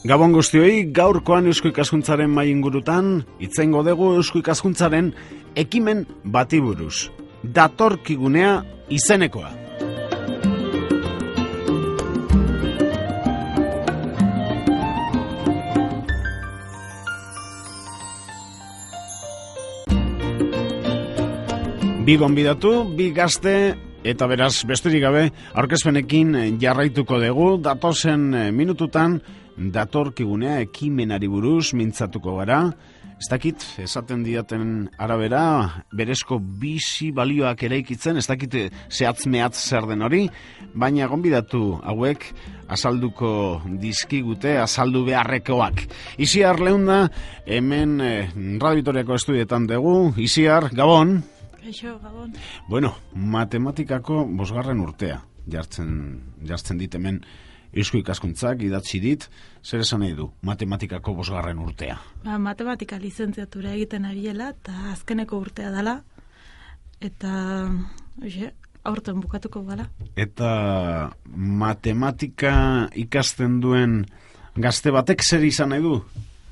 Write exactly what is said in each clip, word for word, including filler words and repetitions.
Gabon guztioi, gaurkoan Eusko Ikaskuntzaren mai ingurutan, itzengo dugu Eusko Ikaskuntzaren ekimen bati buruz. Datorkigunea izenekoa. Bi gonbidatu, bi gazte, eta beraz, besterik gabe, aurkezpenekin jarraituko dugu, datozen minututan, datorkigunea ekimenari buruz mintzatuko gara. Ez dakit, esaten diaten arabera, berezko bizi balioak eraikitzen, ez dakit zehatz mehatz zer den hori, baina gonbidatu hauek azalduko dizkigute, azaldu beharrekoak. Isiar Leunda, hemen eh, Radio Vitoriako estudietan dugu. Isiar, Gabon. Eixo, Gabon. Bueno, matematikako bosgarren urtea, jartzen, jartzen dit hemen Eusko Ikaskuntzak idatzi dit, zer esan nahi du, matematikako bosgarren urtea? Ba, matematika lizentziatura egiten abiela, eta azkeneko urtea dela, eta, oie, aurten bukatuko gala. Eta matematika ikasten duen gazte batek zer izan nahi du,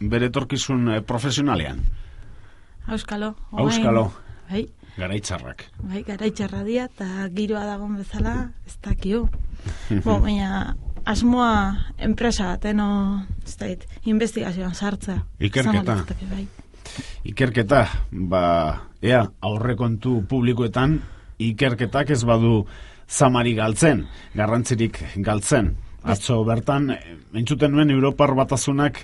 bere etorkizun profesionalean? Auskalo. Auskalo. Bai. Garaitzarrak. Bai, garaitzarra dia, eta giroa dagoen bezala, ez dakio. Bo, baina asmoa enpresa bat, eno, ez dakit, investigazioan sartzea. Ikerketa. Bai. Ikerketa, ba, ea, aurrekontu publikoetan, ikerketak ez badu zamari galtzen, garrantzirik galtzen. Atzo bertan, entzuten nuen Europar Batasunak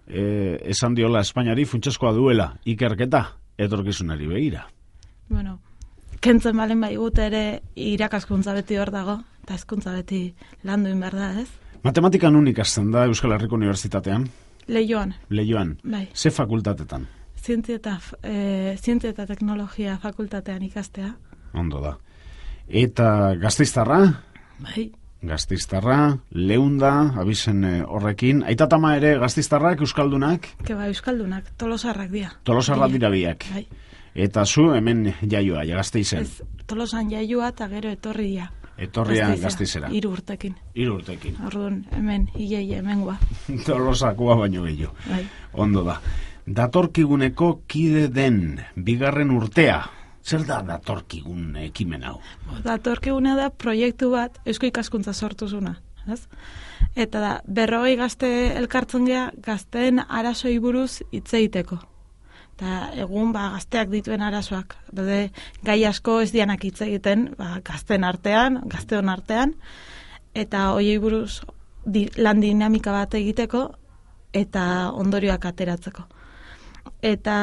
eh, esan diola Espainiari funtsezkoa duela ikerketa, etorkizunari begira. Bueno, kentzen balen bai gute ere irakaskuntza beti hor dago, eta hezkuntza beti landuin behar da, ez? Matematikan unik ikasten da Euskal Herriko Unibertsitatean? Leioan. Leioan. Bai. Ze fakultatetan? Zientzia eta, e, zientzia eta teknologia fakultatean ikastea. Ondo da. Eta Gasteiztarra? Bai. Gasteiztarra, Leunda, abizen horrekin. Aitatama ere Gasteiztarrak, Euskaldunak? Ke ba, Euskaldunak, tolosarrak dira. Tolosarrak dira biak. Bai. Eta zu hemen jaioa, ja Gasteizen. Ez, Tolosan jaioa eta gero etorria. Etorria Gasteizera. Hiru urtekin. Hiru urtekin. Orduan, hemen, hilei hemengoa. Tolosakoa baino gehiago. Bai. Ondo da. Datorkiguneko kide den bigarren urtea. Zer da datorkigun ekimen hau? Datorkiguna da proiektu bat Eusko Ikaskuntza sortuzuna. Ez? Eta da, berrogei gazte elkartzen gea, gazteen arazoi buruz hitz egiteko. Eta egun ba, gazteak dituen arazoak. Daude, gai asko ez dianak hitz egiten, ba, gazten artean, gazteon artean, eta hoiei buruz di, lan dinamika bat egiteko, eta ondorioak ateratzeko. Eta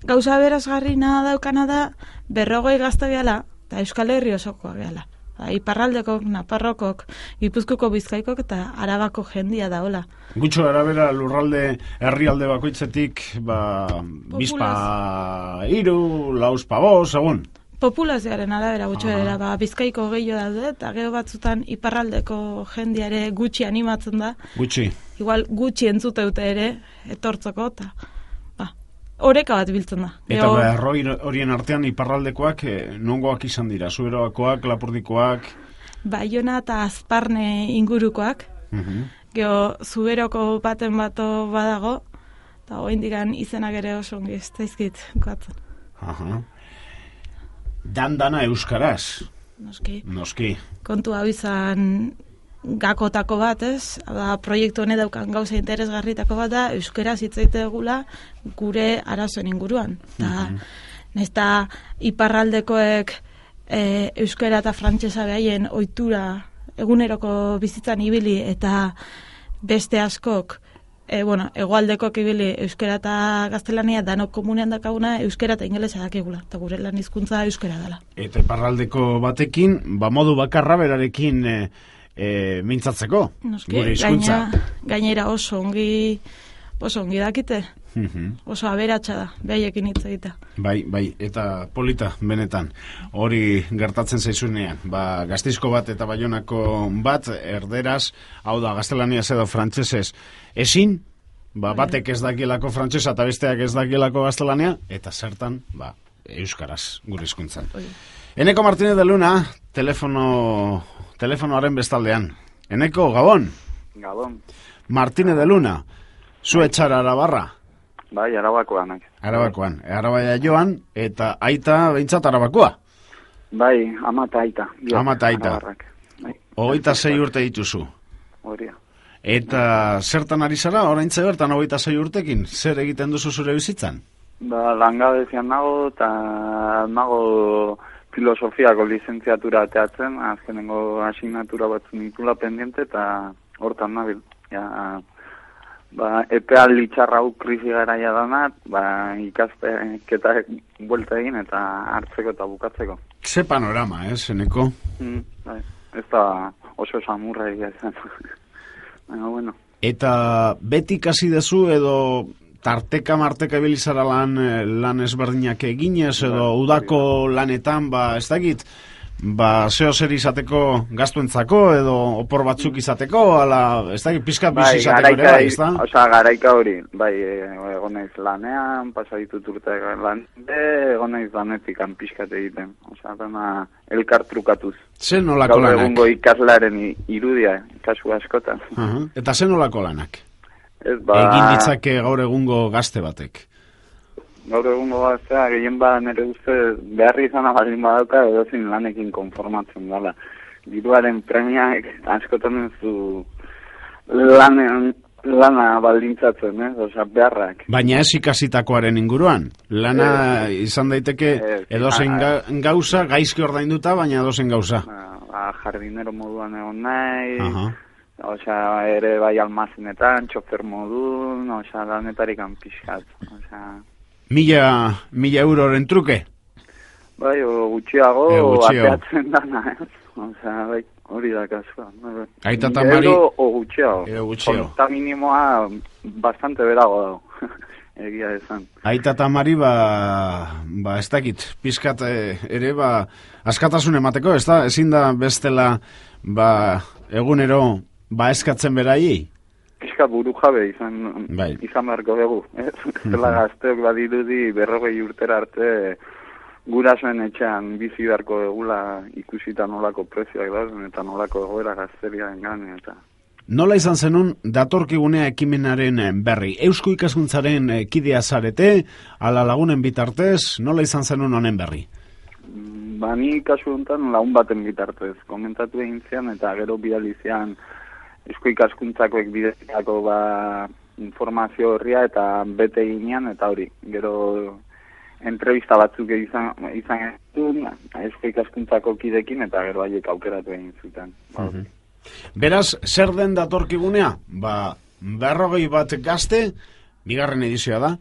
gauza berazgarrina daukana da, berrogei gazte behala, eta Euskal Herri osokoa behala. Ba, Iparraldekok, Nafarrokok, Gipuzkoko, Bizkaikok eta Arabako jendia daola. Gutxo arabera lurralde herrialde bakoitzetik, ba, bizpa iru, lauspa bost, egun? Populazioaren arabera gutxo era, ba, Bizkaiko gehiago daude, eta gero batzutan Iparraldeko jendiare gutxi animatzen da. Gutxi. Igual gutxi entzuteute ere, etortzeko, eta oreka bat biltzen da. Eta Geo... berroi horien artean iparraldekoak eh, nongoak izan dira? Zuberoakoak, Lapurdikoak? Baiona eta Azparne ingurukoak. Uh-huh. Geo, Zuberoko baten bato badago, eta hoin digan izenak ere oso ongi ez daizkit goatzen. Uh-huh. Dan-dana euskaraz? Noski. Noski. Kontu hau izan gakotako bat, ez? Da, proiektu hone daukan gauza interesgarritako bat da, euskeraz hitz egitegula gure arazoen inguruan. Eta, mm-hmm. Nesta iparraldekoek e, euskera eta frantsesa behaien ohitura eguneroko bizitzan ibili, eta beste askok, e, bueno, hegoaldekok ibili euskera eta gaztelania danok komunean dakaguna euskera eta ingelesa dakigula, eta gure lan hizkuntza euskera dela. Eta iparraldeko batekin, ba modu bakarra berarekin e, E, mintzatzeko, Noski, gure hizkuntza. Gaina, gainera oso ongi oso ongi dakite. Uh-huh. Oso aberatsa da, behaiekin hitz egita. Bai, bai, eta polita, benetan. Hori gertatzen zaizunean. Ba, Gasteizko bat eta Baionako bat, erderaz, hau da, gaztelaniaz edo frantsesez ezin, ba, batek ez dakielako frantsesa eta besteak ez dakielako gaztelania, eta zertan, ba, euskaraz, gure hizkuntzan. Eneko Martínez de Luna, telefono... telefonoaren bestaldean. Eneko, Gabon? Gabon. Martínez de Luna, zu etxara Arabarra? Bai, Arabakoanak. Arabakoan, Arabaia joan, eta aita behintzat Arabakoa? Bai, ama eta aita. Ama eta aita. Bai. Hogeita sei urte dituzu. Horia. Eta zertan ari zara, oraintze bertan hogeita sei urtekin, zer egiten duzu zure bizitzan? Ba, langabezian nago, eta nago filosofiako lizentziatura ateatzen, azkenengo asignatura batzu nitula pendiente, eta hortan nabil. Ja, ba, epealdi txarra hau krisi garaia danat, ba, ikasketak buelta egin eta hartzeko eta bukatzeko. Ze panorama, eh, zeneko? Mm, bai, ez da oso samurra egia zen. Baina, bueno. Eta beti kasi dezu edo tarteka marteka bilizara lan, lan ezberdinak eginez edo udako lanetan, ba, ez dakit, ba, zeo zer izateko gastuentzako edo opor batzuk izateko, ala, ez dakit, pizkat bizi izateko ere, bai, ez da? Osa, garaika hori, bai, egon naiz lanean, pasaditut urte lan, egon naiz lanetik pizkat egiten, osa, dena elkar trukatuz. Zer nolako lanak? Gaur egungo ikaslaren irudia, kasu askotan. Uh-huh. Eta zer nolako lanak? Ez, ba... Egin ditzake gaur egungo gazte batek? Gaur egungo gaztea, gehien ba nire uste beharri izan baldin badauka edozin lanekin konformatzen dela. Diruaren premiak askotan ez du lanen, lana baldintzatzen, eh? Osa, beharrak. Baina ez ikasitakoaren inguruan. Lana eh, izan daiteke eh, edozen ga, gauza, gaizki ordainduta, baina edozen gauza. Ba, jardinero moduan egon nahi, uh-huh. Osea, ere bai almazenetan, txofer modun, osea, lanetarik pixkat, osea... Mila, mila euroren truke? Bai, o gutxiago, e, gutxiago. Ateatzen dana, ez? Osea, bai, hori da kasua. Aita tamari... Euro o gutxiago. Euro gutxiago. Konta minimoa bastante berago dago, egia esan. Aita tamari, ba, ba, ez dakit, pizkat ere, ba, askatasun emateko, ez da? Ezin da bestela, ba, egunero, ba, eskatzen beraiei? Pizka buru jabe izan, bai. Izan beharko dugu. Eh? Zela gazteok badirudi berrogei urtera arte gurasoen etxean bizi beharko egula ikusita nolako prezioak dauden eta nolako egoera gazteriaren gane. Eta... Nola izan zenun datorkigunea ekimenaren berri? Eusko ikaskuntzaren kidea zarete, ala lagunen bitartez, nola izan zenun honen berri? Ba, ni kasu honetan lagun baten bitartez. Komentatu egin zian eta gero bidalizian Eusko ikaskuntzakoek bidezkako ba, informazio horria eta bete ginean eta hori. Gero entrevista batzuk izan, izan egin Eusko ikaskuntzako kidekin eta gero haiek aukeratu egin zuten. Uh-huh. Beraz, zer den datorkigunea? Ba, berrogei bat gazte, bigarren edizioa da,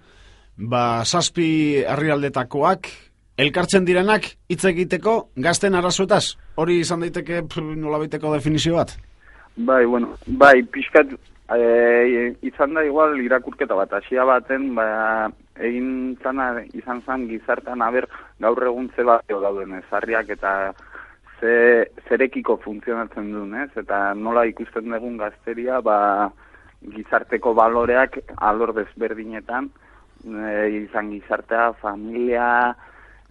ba, zazpi herrialdetakoak, elkartzen direnak hitz egiteko gazten arazoetaz. Hori izan daiteke nolabaiteko definizio bat? Bai, bueno, bai, pixkat e, izan da igual irakurketa bat, hasia baten, ba, egin zana, izan zan gizartean aber gaur egun ze bat dauden ezarriak eta ze, zerekiko funtzionatzen duen, ez? Eta nola ikusten dugun gazteria, ba, gizarteko baloreak alor desberdinetan, e, izan gizartea, familia,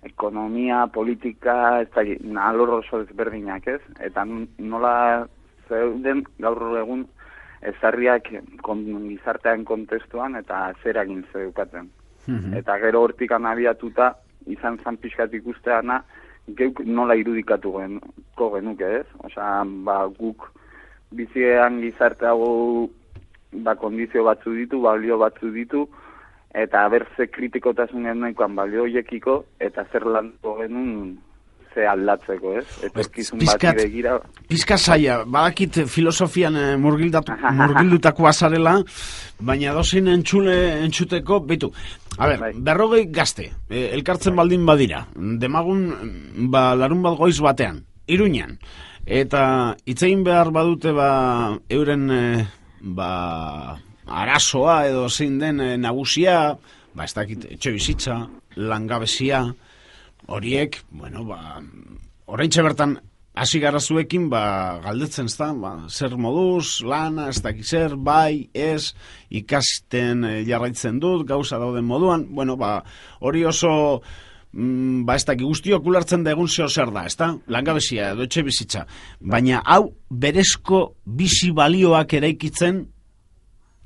ekonomia, politika, ez da, alor oso desberdinak, ez? Eta nola... zeuden gaur egun ezarriak kon, gizartean kontestuan eta zeragin zeukaten. Mm-hmm. Eta gero hortik anabiatuta izan zan pixkat ikusteana geuk nola irudikatu genuko genuke, ez? Osea, ba, guk biziean gizarte hau ba, kondizio batzu ditu, balio batzu ditu, eta berze kritikotasun genuen balio hoiekiko eta zer lanko genuen ze aldatzeko, ez? Etorkizun bati begira. Pizka zaila, badakit filosofian eh, murgildutako azarela, baina dozin entxule entxuteko, betu, a ber, bai. Berrogei gazte, eh, elkartzen bai. Baldin badira, demagun, ba, larun bat goiz batean, Iruñan, eta itzein behar badute, ba, euren, eh, ba, arazoa edo zein den eh, nagusia, ba, ez dakit, etxe bizitza, langabezia, horiek, bueno, ba, oraintxe bertan hasi gara zuekin, ba, galdetzen ez da, ba, zer moduz, lana, ez dakiz zer, bai, ez, ikasten e, jarraitzen dut, gauza dauden moduan, bueno, ba, hori oso, mm, ba, ez dakik guztiok ulertzen da egun zeo zer da, ez da, langabezia edo etxe bizitza, baina hau berezko bizi balioak eraikitzen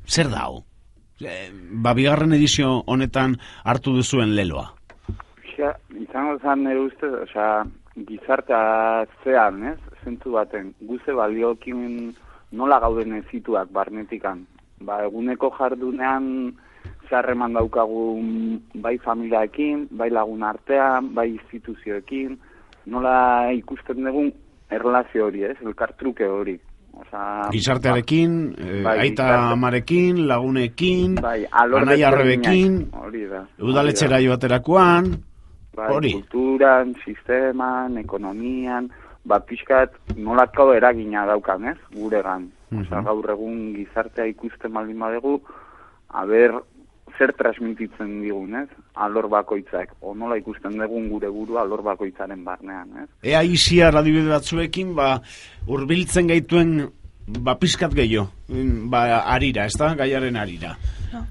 Zer da hau? E, ba, bigarren edizio honetan hartu duzuen leloa. Ja, izango zan nire uste, osea, gizartea zean, ez? Zentzu baten, guze baliokin nola gauden ezituak barnetikan. Ba, eguneko jardunean zeharreman daukagu bai familiaekin, bai lagun artean, bai instituzioekin, nola ikusten dugun erlazio hori, ez? Elkartruke hori. Osa, gizartearekin, ba, eh, bai, aita gizarte. amarekin, lagunekin, bai, anai arrebekin, hori da. udaletxera joaterakoan, bai, hori. kulturan, sisteman, ekonomian, ba, pixkat nolatko eragina daukan, ez? Guregan. Osa, gaur egun gizartea ikusten baldin badegu, aber, zer transmititzen digun, ez? Alor bakoitzak, o nola ikusten dugun gure burua alor bakoitzaren barnean, ez? Ea izia radibide batzuekin, ba, hurbiltzen gaituen, ba, pizkat gehiago, ba, arira, ez da? Gaiaren arira. No.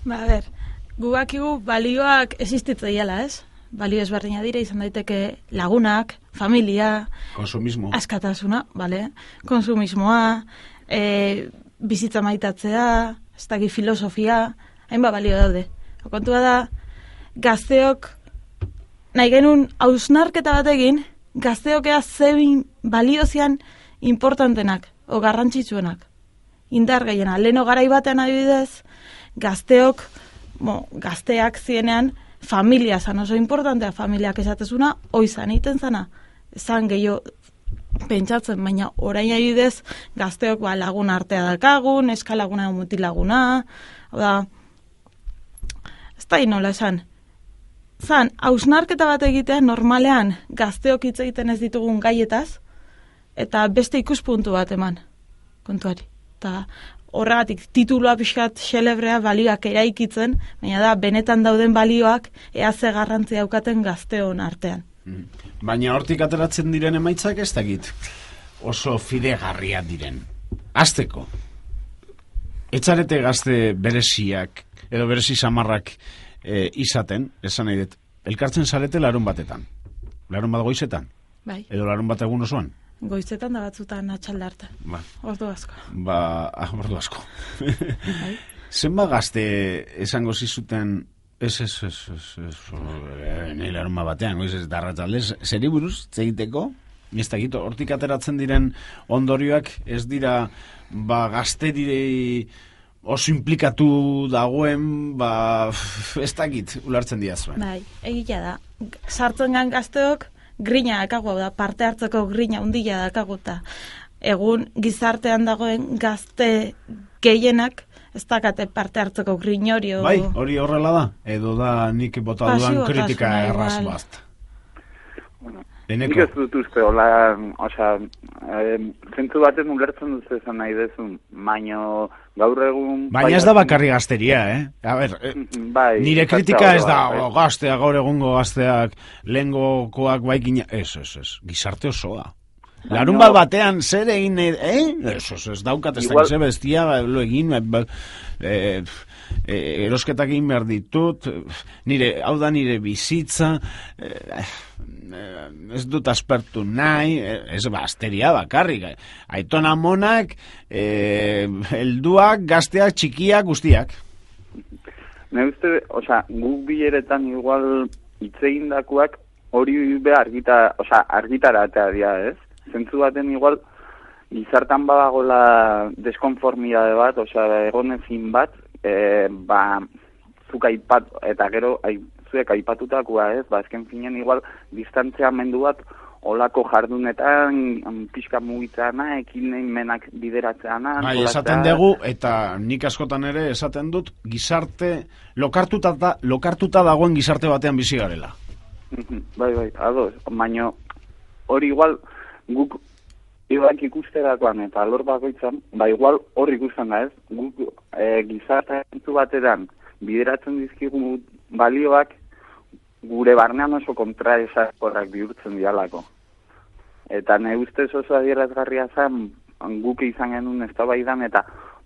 Ba, a ber, gubakigu balioak existitzen dela, ez? Balio ezberdina dira, izan daiteke lagunak, familia, konsumismo, askatasuna, bale? Konsumismoa, e, bizitza maitatzea, ez daki filosofia, hainba balio daude. Kontua da, gazteok, nahi genuen hausnarketa bat egin, gazteok ea zebin baliozian importantenak, o garrantzitsuenak. Indar gehiena, leheno garai batean adibidez, gazteok, bo, gazteak zienean, familia zan oso importantea, familiak esatezuna, oizan iten zana, zan gehiago pentsatzen, baina orain adibidez, gazteok ba, lagun artea dakagun, eskalaguna mutilaguna, hau da, ez da inola esan, zan, hausnarketa bat egitea normalean gazteok hitz egiten ez ditugun gaietaz, eta beste ikuspuntu bat eman, kontuari. Eta horregatik titulua pixkat xelebrea balioak eraikitzen, baina da, benetan dauden balioak ea ze garrantzia daukaten gazteon artean. Baina hortik ateratzen diren emaitzak ez dakit oso fidegarriak diren. Hasteko, etxarete gazte bereziak, edo berezi samarrak e, izaten, esan nahi dut, elkartzen zarete larun batetan. Larun bat goizetan? Bai. Edo larun bat egun osoan? Goizetan da batzutan atxalde hartan. Ba. Ordu asko. Ba, ah, ordu asko. Bai. Zenba gazte esango zizuten, ez, ez, ez, ez, ez, nahi larun batean, goiz ez darratzaldez, zeri buruz, zegiteko? Ez da gito, hortik ateratzen diren ondorioak ez dira, ba, gazte direi oso implikatu dagoen, ba, ez dakit, ulartzen diazuen. Bai, egitea da. Sartzen gan gazteok, grina dakagu, da, parte hartzeko grina undila dakagu, eta egun gizartean dagoen gazte gehienak ez dakate parte hartzeko grin hori. O... Bai, hori horrela da, edo da nik bota duan kritika erraz bat. Bueno, Eneko. nik ez dut uste, hola, osea, eh, zentzu baten ulertzen dut esan nahi dezun, baino gaur egun... Baina ez da bakarri gazteria, eh? A ber, eh, bai, nire kritika ez da, bai. o, gazteak, gaur egungo gazteak, lehengokoak baikina, ez, ez, ez, gizarte osoa. Larun bat batean zer egin, eh? Ez, ez, ez daukat, ez Igual... dakize bestia, lo egin, ba, eh, eh, erosketak egin behar ditut, nire, hau da nire bizitza, eh, ez dut aspertu nahi, ez basteria bakarrik, aiton amonak, eh, helduak, gazteak, txikiak, guztiak. Ne uste, osea, guk bileretan igual itzegindakoak hori be argita, osea, argitaratea dira, ez? Zentzu baten igual gizartan badagola deskonformidade bat, osea, egonezin bat, e, ba, zuk aipat, eta gero, ai, zuek aipatutakoa, ez? Ba, ezken finen igual distantzia mendu bat olako jardunetan, pixka mugitzana, ekin menak bideratzeana. Bai, esaten dugu, eta nik askotan ere esaten dut, gizarte, lokartuta, da, lokartuta dagoen gizarte batean bizi garela. Bai, bai, ados, baino hori igual guk ibak ikusterakoan eta alor bakoitzan, ba igual hor ikusten da ez, guk e, gizarte bateran bideratzen dizkigu balioak gure barnean oso kontraesakorrak bihurtzen dialako. Eta ne ustez oso adierazgarria zen guk izan genuen eztabaidan eta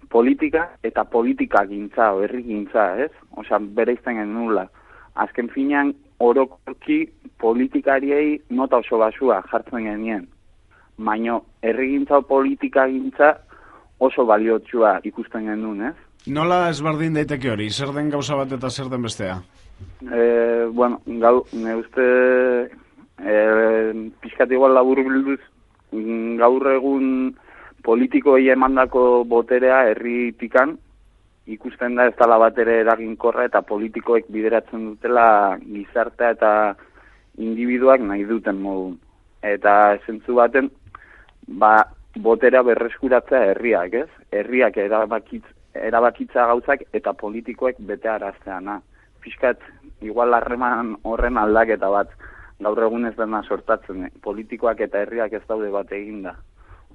politika eta politika gintza, o herri gintza, ez? Osea, bereizten genuela. Azken finean, orokorki politikariei nota oso basua jartzen genien. Baina herrigintza o politika gintza oso baliotsua ikusten genuen, ez? Nola ezberdin daiteke hori? Zer den gauza bat eta zer den bestea? E, bueno, gau, ne uste e, pixkat igual labur bilduz gaur egun politikoei emandako boterea herritikan ikusten da ez dela bat ere eraginkorra eta politikoek bideratzen dutela gizartea eta individuak nahi duten modu. Eta zentzu baten, ba, boterea berreskuratzea herriak, ez? Herriak erabakitz, erabakitza gauzak eta politikoek bete arazteana. Piskat, igual harreman horren aldaketa bat, gaur egun ez dena sortatzen, politikoak eta herriak ez daude bat eginda.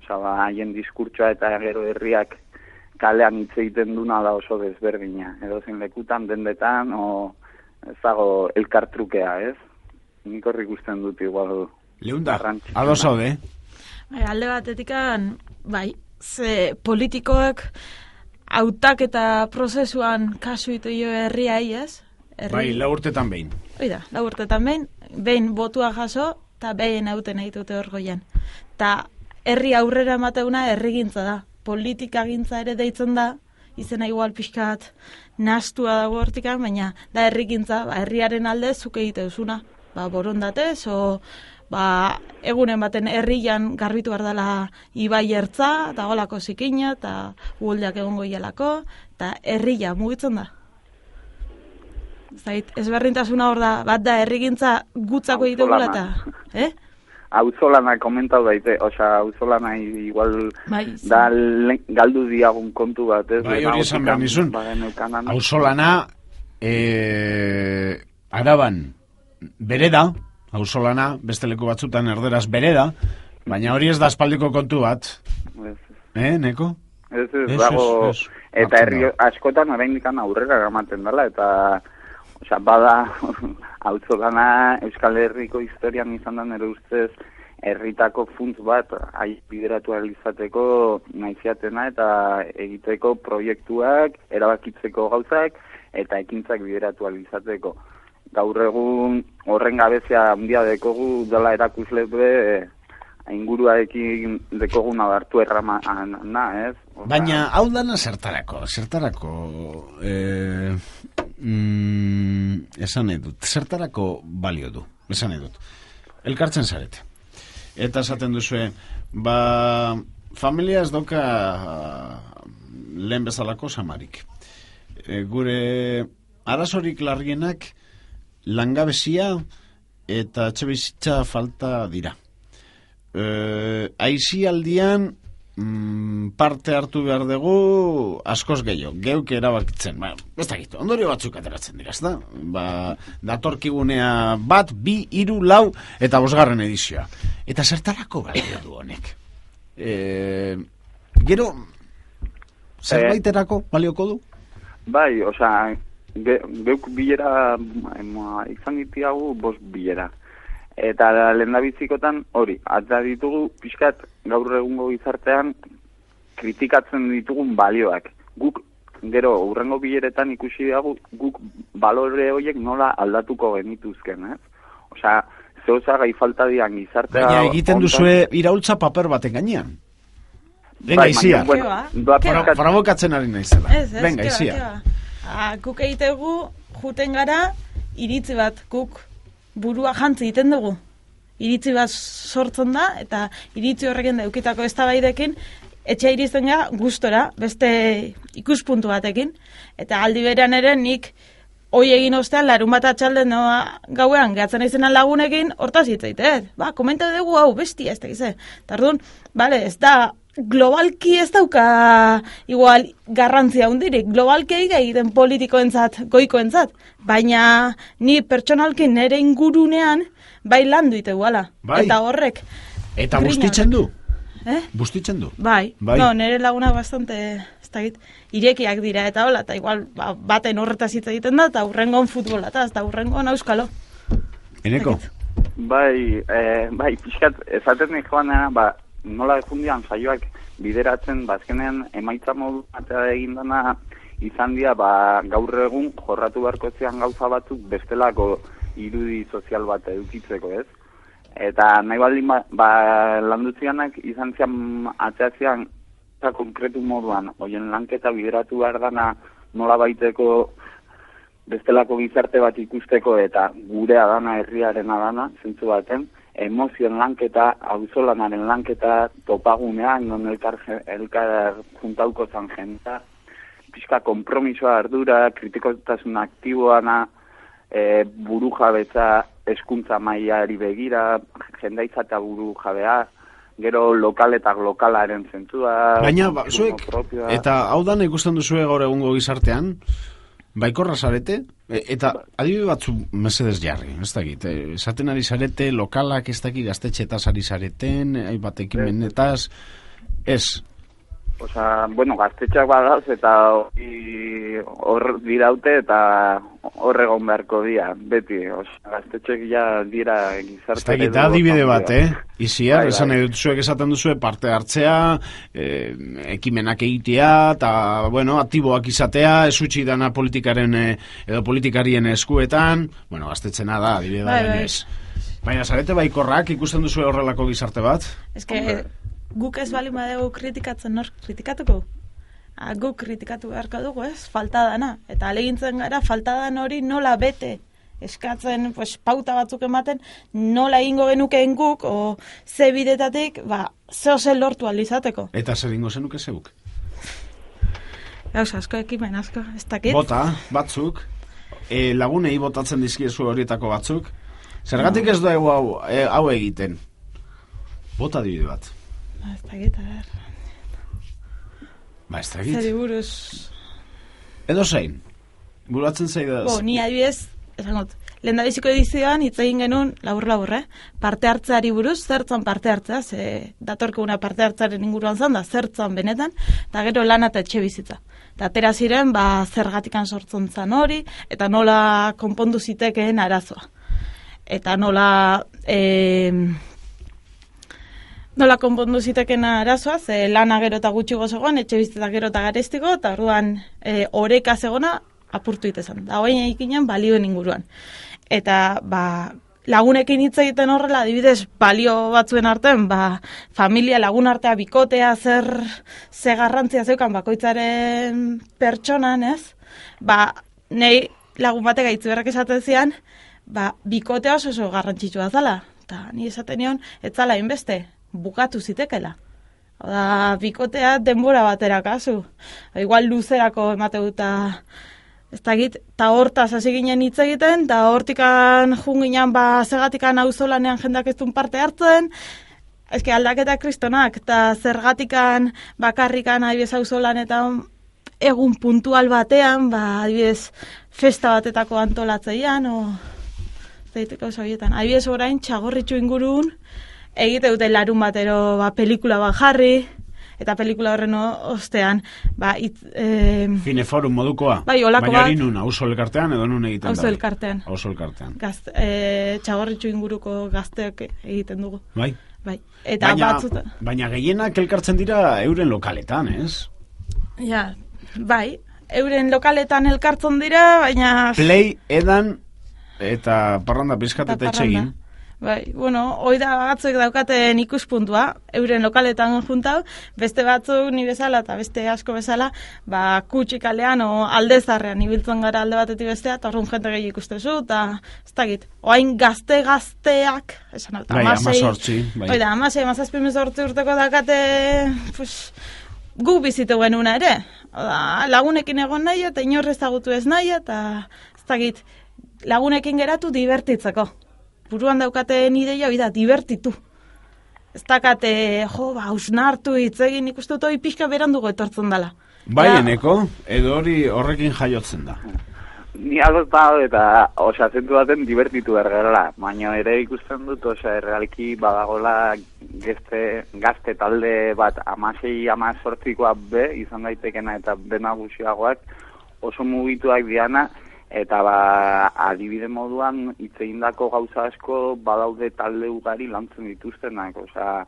Osa, ba, haien diskurtsoa eta gero herriak kalean hitz egiten duna da oso desberdina. Edo zen lekutan, dendetan, o ez dago elkartrukea, ez? Nik horrik ikusten dut igual. Leunda, ado zaude? Alde batetikan, bai, ze politikoak hautak eta prozesuan kasu ito jo herriai, ez? Herri... Bai, lau urtetan behin. Oida, lau urtetan behin, behin botua jaso, eta behin hauten egitute hor goian. Ta herri aurrera emateuna herrigintza da. Politika gintza ere deitzen da, izena igual pixkat nastua dago hortikan, baina da herrigintza, ba, herriaren alde zuke egite duzuna. Ba, borondatez, o ba, egunen baten herrian garbitu behar dela ibai ertza, eta golako zikina, eta uholdeak egongo ialako, eta herria mugitzen da. Zait, ezberdintasuna hor da, bat da herrigintza gutzako egite gula eta, eh? Auzolana komentau daite, osea, auzolana igual bai, da le, galdu diagun kontu bat, ez? Bai, hori esan behar nizun. Auzolana, e, Araban, bere da, auzolana, beste leku batzutan erderaz bere da, baina hori ez da aspaldiko kontu bat. Ez, eh, Neko? Ez, ez, ez dago, ez, ez. Eta herri askotan oraindikan aurrera gamaten dela, eta osea, bada, auzolana Euskal Herriko historian izan da nire ustez herritako funtz bat hai bideratu izateko naiziatena eta egiteko proiektuak, erabakitzeko gauzak eta ekintzak bideratu izateko. Gaur egun horren gabezia handia dekogu dela erakusle be inguruarekin dekoguna hartu errama na, ez? Oza... Baina hau dana zertarako, zertarako eh, mm, esan edut, zertarako balio du, esan edut. Elkartzen zarete. Eta esaten duzue, ba, familia ez doka lehen bezalako samarik. E, gure arazorik larrienak langabezia eta etxebizitza falta dira. E, aizialdian mm, parte hartu behar dugu askoz gehiago, geuk erabakitzen. Ba, ez dakit, ondorio batzuk ateratzen dira, ez da? Ba, datorkigunea bat, bi, hiru, lau eta bosgarren edizioa. Eta zertarako balio du honek? E, gero, zerbaiterako balioko du? Bai, osea, ge, geuk bilera ema, izan ditiagu bost bilera. Eta lehendabizikotan hori, atza ditugu pixkat gaur egungo gizartean kritikatzen ditugun balioak. Guk, gero, urrengo bileretan ikusi dugu, guk balore horiek nola aldatuko genituzken, ez? Osea, zeuza gai falta dian gizartea... Baina egiten ontan... duzue iraultza paper baten gainean. Venga, bai, izia. Bueno, Provokatzen ari naizela. Ez, ez, venga, izia. Ah, guk egitegu, juten gara, iritzi bat, guk burua jantzi egiten dugu. Iritzi bat sortzen da, eta iritzi horrekin daukitako eztabaidekin etxea irizten gara gustora, beste ikuspuntu batekin. Eta aldi berean ere nik hoi egin ostean, larun bat atxalden noa gauean, gehatzen aizenan lagunekin, hortaz hitzaite, ba, komenta dugu hau, bestia, ez da gize. Tardun, bale, ez da, globalki ez dauka igual garrantzia hundirik, globalki egiten politikoentzat, goikoentzat, baina ni pertsonalki nere ingurunean bai landu ite guala. Bai. Eta horrek. Eta bustitzen du? Eh? Bustitzen du? Bai. bai. No, nere lagunak bastante, ez da git, irekiak dira eta hola, eta igual ba, baten horretaz hitz egiten da, eta hurrengon futbola, eta hurrengon auskalo. Eneko? Bai, eh, bai, pixkat, esaten nik joan, ba, nola efundian saioak bideratzen, bazkenean emaitza modu batea egin dana izan dira, ba, gaur egun jorratu beharko zian gauza batzuk bestelako irudi sozial bat edukitzeko, ez? Eta nahi baldin ba, ba landutzianak izan zian atzeatzean eta konkretu moduan, hoien lanketa bideratu behar dana nola baiteko bestelako gizarte bat ikusteko eta gurea dana, herriarena dana, zentzu baten, emozioen lanketa, auzolanaren lanketa, topagunean, non elkar, elkar juntauko zan jenta, pixka kompromisoa ardura, kritikotasun aktiboana, e, buru jabetza, eskuntza mailari begira, jendaitza eta buru jabea, gero lokal eta lokalaren zentzua. Baina, ba, zuek, eta hau dan ikusten duzue gaur egungo gizartean, baikorra zarete, e, eta adibide batzu mesedez jarri, ez dakit, e, esaten ari zarete, lokalak ez dakit gaztetxetaz ari zareten, hainbat ekimenetaz, ez. Osa, bueno, gaztetxeak badaz eta hor diraute eta hor egon beharko dira, beti. Osa, gaztetxeak ja dira gizarte. Ez dakit, adibide bat, eh? Iziar, esan bai, bai. Zuek esaten duzue parte hartzea, eh, ekimenak egitea, eta, bueno, aktiboak izatea, ez utzi dana politikaren eh, edo politikarien eskuetan, bueno, gaztetxena da, adibide bat, bai, bai. Baina, zarete baikorrak ikusten duzue horrelako gizarte bat? Ez que... Guk ez bali madegu kritikatzen nor kritikatuko. A, guk kritikatu beharko dugu, ez? Falta dana. Eta alegintzen gara, falta dan hori nola bete. Eskatzen, pues, pauta batzuk ematen, nola ingo genukeen guk, o ze bidetatik, ba, zeo zen lortu alizateko. Eta zer ingo zenuke zeuk? Gauz, asko ekimen, asko, ez dakit. Bota, batzuk, e, lagunei botatzen dizkiezu horietako batzuk. Zergatik ez da hau, e, hau egiten? Bota dibide bat. Ba, ez dakit, a ber. Ba, ez dakit. Zeri buruz... Edo zein? Buratzen zei da... Bo, ni adibidez, esangot, lehen da biziko edizioan hitz egin genuen, labur-labur, eh? Parte hartzeari buruz, zertzan parte hartzea, ze datorkeguna parte hartzearen inguruan zan da, zertzan benetan, eta gero lana eta etxe bizitza. Eta atera ziren, ba, zergatikan sortzen zan hori, eta nola konpondu zitekeen arazoa. Eta nola... Eh, Nola konpondu zitekena arazoa, ze lana gero eta gutxi gozegoan, etxe bizitza gero eta garestiko, eta orduan e, oreka zegona apurtu itezan. Da hoain eginen balioen inguruan. Eta ba, lagunekin hitz egiten horrela, adibidez, balio batzuen artean, ba, familia lagun artea bikotea zer ze garrantzia zeukan bakoitzaren pertsonan, ez? Ba, nei lagun batek gaitzu berrak esaten zian, ba, bikotea oso oso garrantzitsua zala. Eta ni esaten nion, ez zala inbeste. Bukatu zitekela. Oda, bikotea denbora batera kasu. Igual luzerako emate duta ez dakit, eta hortaz hasi ginen hitz egiten, eta hortikan junginan ba zergatikan auzolanean jendak ez duen parte hartzen, eske aldaketa kristonak, eta zergatikan bakarrikan adibidez auzolanetan egun puntual batean, ba adibidez festa batetako antolatzeian, o zeiteko soietan. Adibidez orain txagorritxu ingurun, egite dute larun batero ba, pelikula bat jarri, eta pelikula horren ostean, ba, it, eh, Cineforum modukoa? Bai, olako baina bat. Baina nun, auzo elkartean edo nun egiten da? Auzo elkartean. Auzo elkartean. Gazte, eh, txagorritxu inguruko gazteak egiten dugu. Bai. Bai. Eta baina, batzuta... baina gehienak elkartzen dira euren lokaletan, ez? Ja, bai. Euren lokaletan elkartzen dira, baina... Play, edan, eta parranda pizkat eta etxegin. Bai, bueno, hoi da batzuek daukaten ikuspuntua, euren lokaletan juntau, beste batzuk ni bezala eta beste asko bezala, ba, kutsik aldean o aldezarrean ibiltzen gara alde batetik bestea, eta horren jente gehi ikustezu, eta ez dakit, oain gazte-gazteak, esan alta, bai, amazortzi, bai. Oida, amasei, amazazpimezortzi urteko dakate, pues, gu bizitu genuna ere, oda, lagunekin egon nahi, eta inorrez ezagutu ez nahi, eta ez dakit, lagunekin geratu divertitzeko. Buruan daukaten ideia hori da, divertitu. Ez dakate, jo, ba, hausnartu hitz egin ikustu toi pixka berandugo etortzen dela. Bai, eneko, edo hori horrekin jaiotzen da. Ni algoz da, eta, osea, zentu baten divertitu ergela, baina ere ikusten dut, osea, errealki badagola gazte, gazte talde bat amasei amazortzikoa be, izan daitekena eta bena guxiagoak, oso mugituak diana, eta ba, adibide moduan hitz egindako gauza asko badaude talde ugari lantzen dituztenak, osea,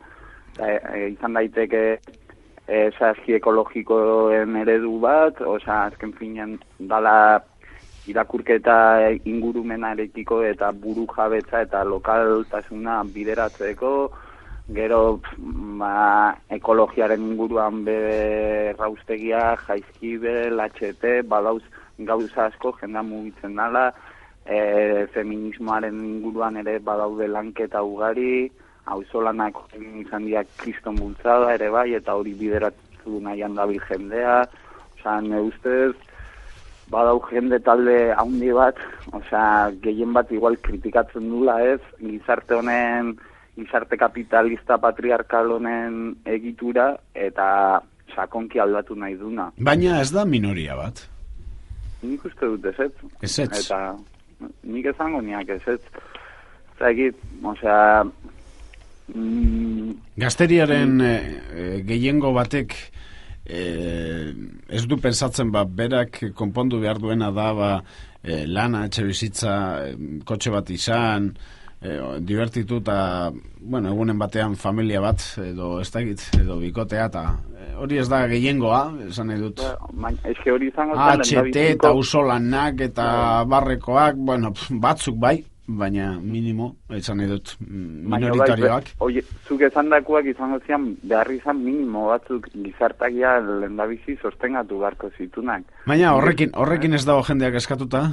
e, e, izan daiteke e, saski ekologikoen eredu bat, osea, azken finean dala irakurketa ingurumenarekiko eta buru jabetza eta lokaltasuna bideratzeko, gero ba, ekologiaren inguruan be raustegia, jaizkibel, H T, badauz gauza asko jendea mugitzen dala, e, feminismoaren inguruan ere badaude lanketa ugari, auzolanak izan dira kriston bultzada ere bai, eta hori bideratu nahian dabil jendea, osea, ne ustez, badau jende talde haundi bat, osea, gehien bat igual kritikatzen dula ez, gizarte honen, gizarte kapitalista patriarkal honen egitura, eta sakonki aldatu nahi duna. Baina ez da minoria bat. Nik uste dut ezetz. Ezetz. Eta nik esango niak ezetz. Zagit, osea... Mm, Gazteriaren mm, e, gehiengo batek e, ez du pensatzen ba, berak konpondu behar duena da ba, e, lana, etxe bizitza, e, kotxe bat izan, e, divertitu eta, bueno, egunen batean familia bat, edo ez dakit, edo bikotea, eta e, hori ez da gehiengoa, esan nahi dut. Eske hori izango H T eta usolanak eta barrekoak, bueno, batzuk bai, baina minimo, esan nahi dut, minoritarioak. Oie, zuk esan dakuak izango zian, behar izan minimo batzuk gizartakia lehendabizi sostengatu beharko zitunak. Baina horrekin, horrekin ez dago jendeak eskatuta?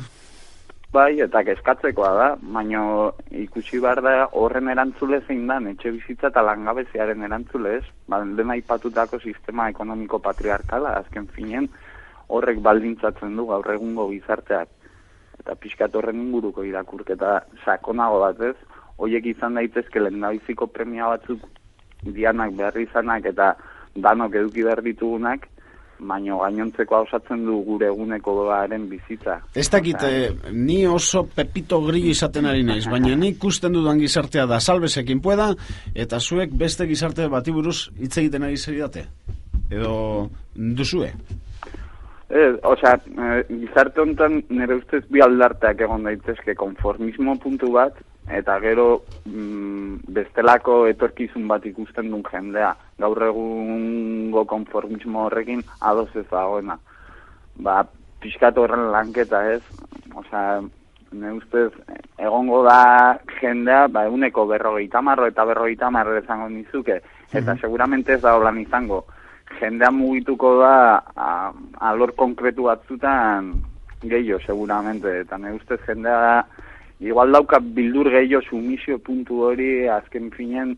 Bai, eta eskatzekoa da, baina ikusi behar da horren erantzule zein dan, etxe bizitza eta langabeziaren erantzule ez, ba, dena ipatutako sistema ekonomiko patriarkala, azken finen, horrek baldintzatzen du gaur egungo gizarteak. Eta pixkat horren inguruko irakurketa sakonago bat ez, horiek izan daitezke lehendabiziko premia batzuk dianak behar izanak eta danok eduki behar ditugunak, baino gainontzeko osatzen du gure egunekoaren bizitza. Ez dakit, eh, ni oso pepito grillo izaten ari naiz, baina nik ikusten dudan gizartea da salbesekin pueda, eta zuek beste gizarte bati buruz hitz egiten ari zeritate. Edo duzue? Eh, osea, eh, gizarte honetan nire ustez bi aldarteak egon daitezke konformismo puntu bat, eta gero mm, bestelako etorkizun bat ikusten duen jendea. Gaur egungo konformismo horrekin ados ez dagoena. Ba, pixkat horren lanketa ez, osea, nire ustez egongo da jendea, ba, eguneko berrogeita marro eta berrogeita marro izango nizuke, eta mm-hmm. seguramente ez da holan izango. Jendea mugituko da a, alor konkretu batzutan gehiago, seguramente. Eta ne ustez jendea igual dauka bildur gehiago sumisio puntu hori azken finen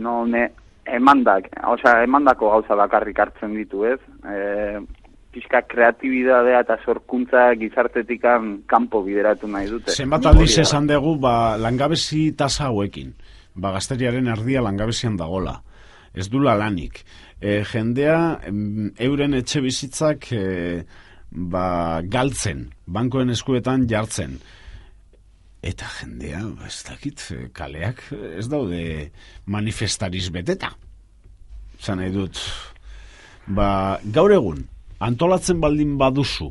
no ne emandak, osea, emandako gauza bakarrik hartzen ditu, ez? E, pixka kreatibidadea eta sorkuntza gizartetikan kanpo bideratu nahi dute. Zenbat aldiz esan dugu ba, langabezi tasa hauekin. Ba, gazteriaren erdia langabezian dagola. Ez dula lanik. E, jendea euren etxe bizitzak e, ba, galtzen, bankoen eskuetan jartzen. Eta jendea, ez dakit, kaleak ez daude manifestariz beteta. Zan nahi dut, ba, gaur egun, antolatzen baldin baduzu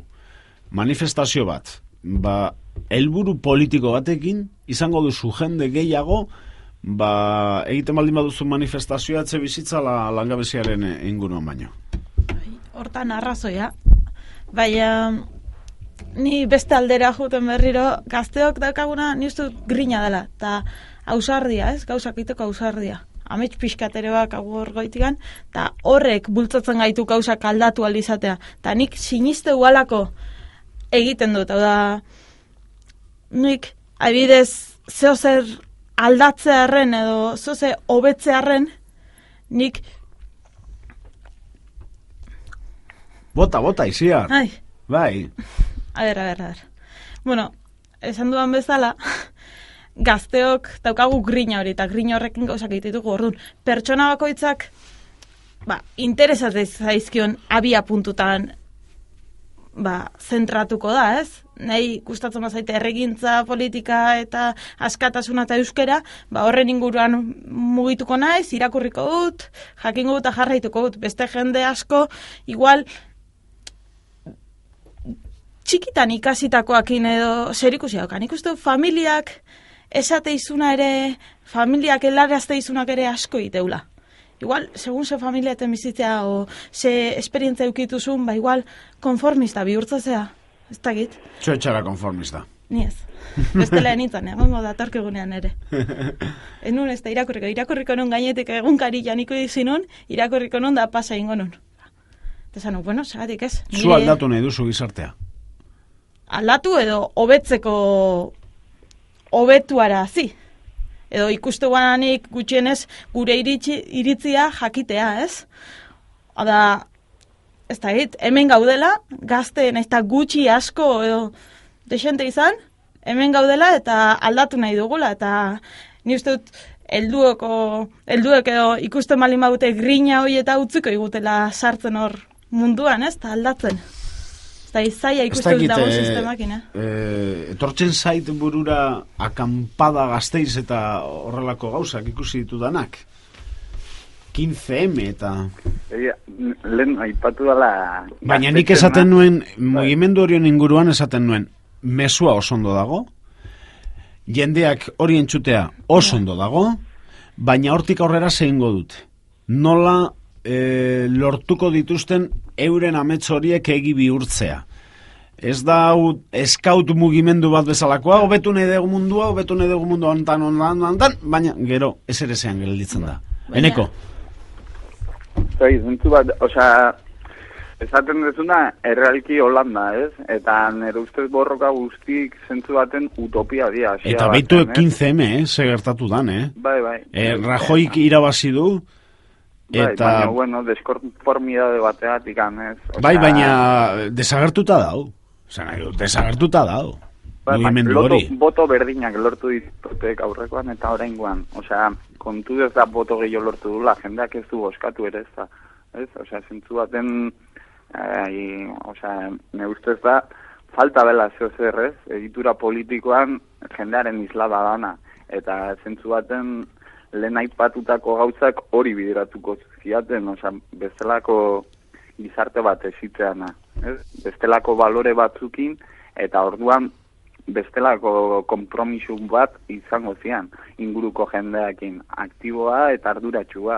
manifestazio bat, ba, helburu politiko batekin, izango duzu jende gehiago, ba, egiten baldin baduzu manifestazioa etxe bizitza la, langabeziaren inguruan baino. Hortan arrazoia. Baina ni beste aldera juten berriro, gazteok daukaguna ni uste grina dela, eta ausardia, ez? Gauzak egiteko ausardia. Amets pixkateroak agur goitikan, eta horrek bultzatzen gaitu gauzak aldatu aldizatea. Eta nik siniste ualako egiten dut, hau da, nik adibidez zeo zer aldatzearen edo zoze hobetzearen nik bota, bota, iziar. Ai. Bai. A ber, a ber, a ber. Bueno, esan duan bezala, gazteok daukagu grina hori, eta grina horrekin gauzak egitetuko orduan. Pertsona bakoitzak, ba, interesatzen zaizkion abia puntutan, ba, zentratuko da, ez? Nahi gustatzen bazaite erregintza, politika eta askatasuna eta euskera, ba horren inguruan mugituko naiz, irakurriko dut, jakingo dut eta jarraituko dut. Beste jende asko, igual, txikitan ikasitakoakin edo zer ikusi daukan. Ikustu familiak esate izuna ere, familiak helarazte izunak ere asko iteula. Igual, segun ze familia eten bizitzea o ze esperientzia eukituzun, ba igual konformista bihurtzatzea. Ez dakit. Txoetxara konformista. Ni ez. Bestela enitzen, egongo datorkigunean ere. Enun ez da irakurriko, irakurriko nun gainetik egunkari janiko izinun, irakurriko nun da pasa ingo nun. Eta zanu, bueno, zagatik ez. Zu aldatu nahi duzu gizartea? Aldatu edo hobetzeko hobetuara zi. Edo ikustu guananik gutxienez gure iritzi, iritzia jakitea, ez? Oda, ez da hit, hemen gaudela, gazteen ez da gutxi asko edo desente izan, hemen gaudela eta aldatu nahi dugula, eta ni uste dut heldueko, helduek edo ikusten bali maute grina hori eta utziko igutela sartzen hor munduan, ez, eta aldatzen. Eta izaia ikusten dut dago sistemakin, eh? eh? Etortzen zait burura akampada Gasteiz eta horrelako gauzak ikusi ditudanak. quince eme eta... Lehen aipatu dela... Baina nik esaten nuen, mugimendu horien inguruan esaten nuen, mesua oso ondo dago, jendeak hori entzutea oso ondo dago, baina hortik aurrera zehingo dut. Nola e, lortuko dituzten euren amets horiek egi bihurtzea. Ez da eskaut mugimendu bat bezalakoa, hobetu nahi dugu mundua, hobetu nahi dugu mundua ontan, ontan, ontan, baina gero ez ere zean gelditzen da. Eneko? Zai, zentzu bat, osea, esaten dezuna, errealki Holanda, ez? Eta nire ustez borroka guztik zentzu baten utopia dia. Eta beitu quince eme, eh? Se gertatu dan, eh? Bai, bai. Eh, Rajoik irabazi du, bai, eta... baina, bueno, deskonformidade bateatik, ez? Osea... Bai, baina desagertuta dau. Osea, desagertuta dau. Bai, mugimendu loto, hori. boto berdinak lortu ditutek aurrekoan eta oraingoan. Osea, kontu ez da boto gehiago lortu dula, jendeak ez du boskatu ere ez da. Ez? Osea, zentzu baten, eh, osea, ne ustez da, falta bela zeo zer, ez? Egitura politikoan jendearen islada dana. Eta zentzu baten lehen aipatutako gauzak hori bideratuko ziaten, osea, bestelako gizarte bat ezitzeana. Ez? Bestelako balore batzukin, eta orduan bestelako konpromisu bat izango zian, inguruko jendeakin, aktiboa eta arduratsua.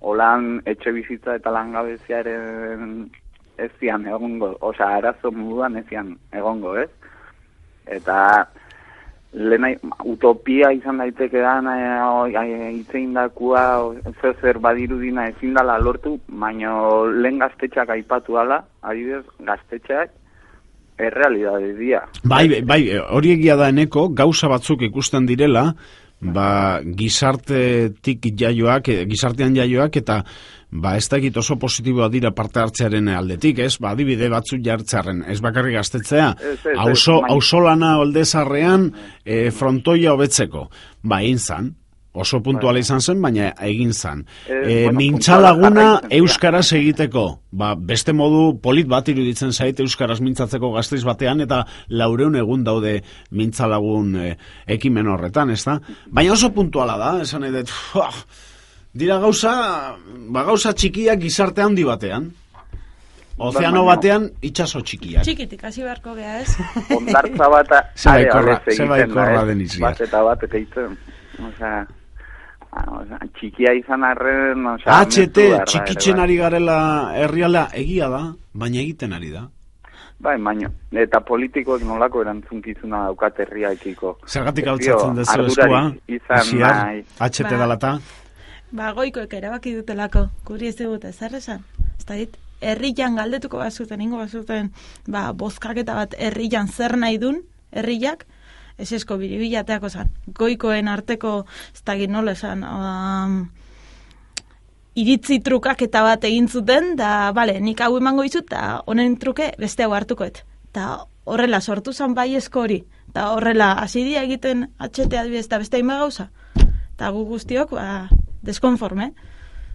Holan etxe bizitza eta langabeziaren ez zian egongo, osea, arazo moduan ez zian egongo, ez? Eta lehena utopia izan daiteke da hitzein dakua zer zer badirudina ezin dala lortu, baina lehen gaztetxeak aipatu dala, adibidez, gaztetxeak errealidade dia. Bai, bai, hori egia da Eneko, gauza batzuk ikusten direla, ba, gizartetik jaioak, gizartean jaioak, eta ba, ez da egit oso positiboa dira parte hartzearen aldetik, ez? Ba, adibide batzuk jartzearen, ez bakarrik gaztetzea, auzo lana oldezarrean e, frontoia hobetzeko. Ba, egin zan, oso puntuala izan zen, baina egin zan. E, mintzalaguna euskaraz egiteko, ba, beste modu polit bat iruditzen zait euskaraz mintzatzeko Gasteiz batean, eta laureun egun daude mintzalagun e, ekimen horretan, ez da? Baina oso puntuala da, esan edet, dira gauza, ba, gauza txikiak gizarte handi batean. Ozeano batean, itxaso txikiak. Txikitik, hasi beharko geha, ez? Ondartza bat zebaikorra den izia. Bat eta bat egiten. Osea, osea, txikia izan arren... Osea, H T, txikitzen ari garela herriala egia da, baina egiten ari da. Bai, baina, eta politikoek nolako erantzunkizuna daukat herriaekiko. Zergatik altzatzen dezu eskua, ziar, H T dalata? Ba, goikoek erabaki dutelako, guri ez dute, zer esan? Ez da dit, herrian galdetuko bazuten, ingo bazuten, ba, bozkaketa bat herrian zer nahi dun, herriak, ez esko biribilateako zan. Goikoen arteko, ez da git nola esan, um, iritzi trukaketa bat egin zuten, da, bale, nik hau emango izut, eta honen truke beste hau hartukoet. Eta horrela sortu zan bai esko hori, eta horrela asidia egiten atxete adibidez, eta beste hainba gauza. Eta gu guztiok, ba, deskonforme.